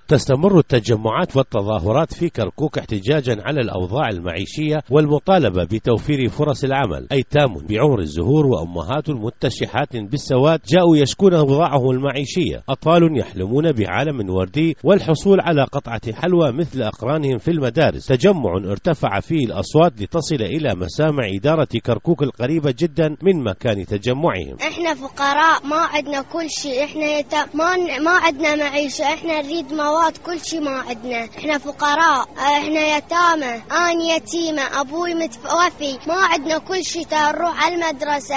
تستمر التجمعات والتظاهرات في كركوك احتجاجا على الأوضاع المعيشية والمطالبة بتوفير فرص العمل. أيتام بعمر الزهور وأمهات متشحات بالسواد جاءوا يشكون أوضاعهم المعيشية. أطفال يحلمون بعالم وردي والحصول على قطعة حلوى مثل أقرانهم في المدارس. تجمع ارتفع فيه الأصوات لتصل إلى مسامع إدارة كركوك القريبة جدا من مكان تجمعهم. احنا فقراء، ما عندنا كل شيء، احنا ما عندنا معيشة، احنا نريد مواد، كل شيء ما عندنا، احنا فقراء، احنا يتامى، انا يتيمة، ابوي متوفي، ما عندنا كل شيء. نروح على المدرسة،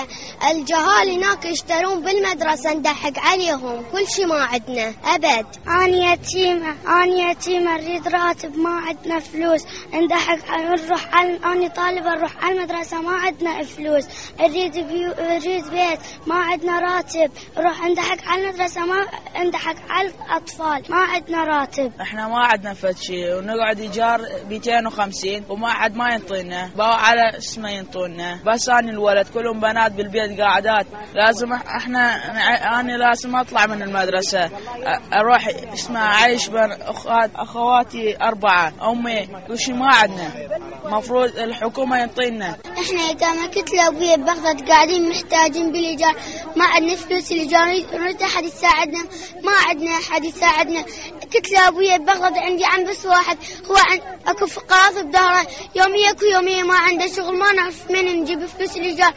الجهال هناك يشترون بالمدرسة ندحق عليهم، كل شيء ما عندنا أبد. أنا يتيمة أريد راتب، ما عندنا فلوس، ندحق أنا طالبة أروح على المدرسة، ما عندنا فلوس، أريد بيت، ما عندنا راتب، نروح ندحق على المدرسة، ما ندحق على الأطفال، ما عندنا راتب. احنا ما عندنا فد شيء، ونقعد إيجار 250 وما حد ما ينطينا، باو على اسمه ينطونا، بس أنا الولد كلهم بنات بالبيت قاعدات، لازم أنا لازم أطلع من المدرسة أروح أعيش بين أخواتي 4، أمي وشي ما عندنا، مفروض الحكومة ينطينا. إحنا يتامى كتلة أبويا ببغداد قاعدين محتاجين بالإيجار، ما عندنا فلوس الإيجار، نريد أحد يساعدنا، ما عندنا أحد يساعدنا. كتلة أبويا ببغداد عندي عم بس واحد، هو أكو فقاعات بداره، يوميا ما عنده شغل، ما نعرف من نجيب فلوس الإيجار.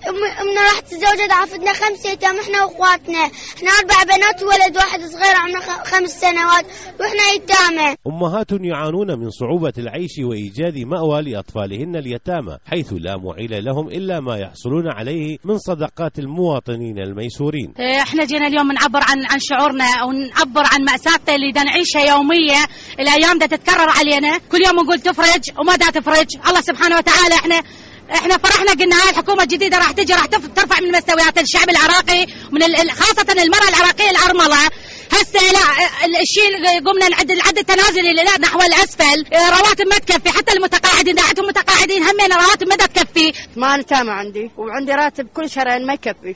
أمنا راح تتزوجت، عافتنا 5 أيتام إحنا وأخواتنا، إحنا 4 بنات وولد واحد صغير عمره 5 سنوات وإحنا يتامى. أمهات يعانون من صعوبة العيش وإيجاد مأوى لأطفالهن اليتامى، حيث لا معيل لهم إلا ما يحصلون عليه من صدقات المواطنين الميسورين. إحنا جينا اليوم نعبر عن شعورنا أو نعبر عن مأساتنا اللي دا نعيشها يومية، الأيام دا تتكرر علينا، كل يوم نقول تفرج وما دا تفرج. الله سبحانه وتعالى احنا فرحنا قلنا هاي الحكومة الجديدة راح تجي، راح ترفع من مستويات الشعب العراقي، من خاصة المرأة العراقية الأرملة. هسه لا الشيء قمنا نعد التنازل لا نحو الأسفل، رواتب ما تكفي، حتى المتقاعدين دعتهم متقاعدين همين رواتب ما تكفي. 8 أيتام عندي وعندي راتب كل شهرين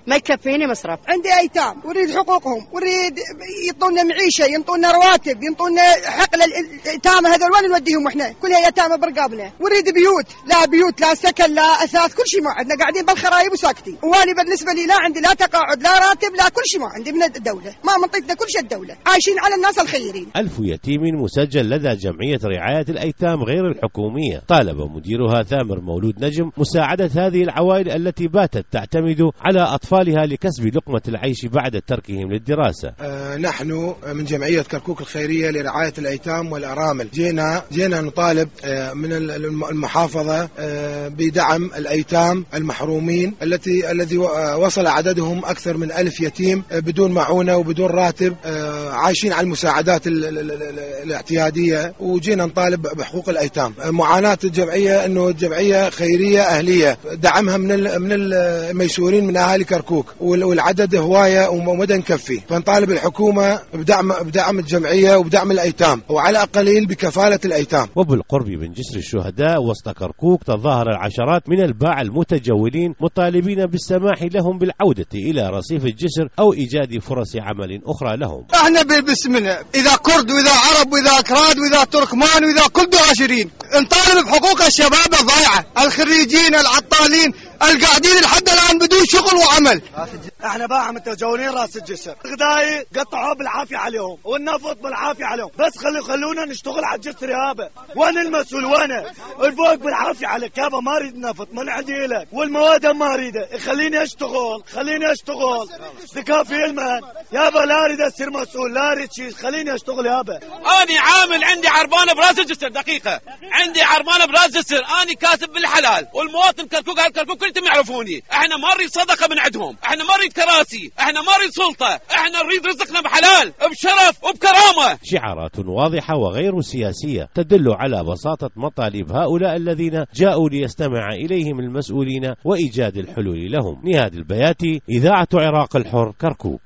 ما يكفيني مصرف. عندي أيتام وريد حقوقهم، وريد يعطونا معيشة، ينطونا رواتب، ينطونا حقل الأيتام هذول وين نوديهم احنا؟ كلها يتامى برقابنا، وريد بيوت، لا بيوت لا سكن لا أثاث، كل شيء ما عندنا، قاعدين بالخرايب وساكتين. واني بالنسبة لي لا عندي لا تقاعد لا راتب لا كل شيء ما عندي من الدولة، ما منطيتنا كل شيء الدولة، عايشين على الناس الخيرين. 1000 يتيم مسجل لدى جمعية رعاية الأيتام غير الحكومية. طالب مديرها ثامر مولود نجم مساعدة هذه العوائل التي باتت تعتمد على أطفالها لكسب لقمة العيش بعد تركهم للدراسة. نحن من جمعية كركوك الخيرية لرعاية الأيتام والأرامل جينا نطالب من المحافظة بدعم الأيتام المحرومين الذي وصل عددهم أكثر من 1000 يتيم بدون معونة وبدون راتب، عايشين على المساعدات الاعتيادية، وجينا نطالب بحقوق الأيتام. معاناة الجمعية أنه الجمعية خيرية أهلية، دعمها من الميسورين من أهالي كركوك، والعدد هواية ومدى نكفي، فنطالب الحكومة بدعم الجمعية وبدعم الأيتام، وعلى أقليل بكفالة الأيتام. وبالقرب من جسر الشهداء وسط كركوك تظاهر العشرات من الباعة المتجولين مطالبين بالسماح لهم بالعودة إلى رصيف الجسر أو إيجاد فرص عمل أخرى لهم. احنا باسمنا إذا كرد وإذا عرب وإذا أكراد وإذا تركمان وإذا كل عاشرين نطالب بحقوق الشباب الضايعة، الخريجين العطالين القاعدين لحد الآن بدون شغل وعمل. احنا باعة متجولين راس الجسر، غداي قطعوا بالعافية عليهم والنفط بالعافية عليهم، بس خلونا نشتغل على الجسر يابا. وين المسؤول؟ وين الفوق بالعافية عليك يابا؟ ما اريد نفط، ما عندي لك، والمواد ما اريده، خليني اشتغل تكافي المهن يابا، لا اريد اصير مسؤول، لا اريد شيء، خليني اشتغل يابا. اني عامل عندي عربانة براس الجسر، دقيقة عندي عربانة براس الجسر، اني كاتب بالحلال، والمواطن كركوك كلكم يعرفوني. احنا ما نريد صدقة من عندهم، احنا ما نريد كراسي، احنا ما نريد سلطة، احنا نريد رزقنا بحلال بشرف وبكرامة. شعارات واضحة وغير سياسية تدل على بساطة مطالب هؤلاء الذين جاءوا ليستمع إليهم المسؤولين وإيجاد الحلول لهم. نهاد البياتي، إذاعة عراق الحر، كركوك.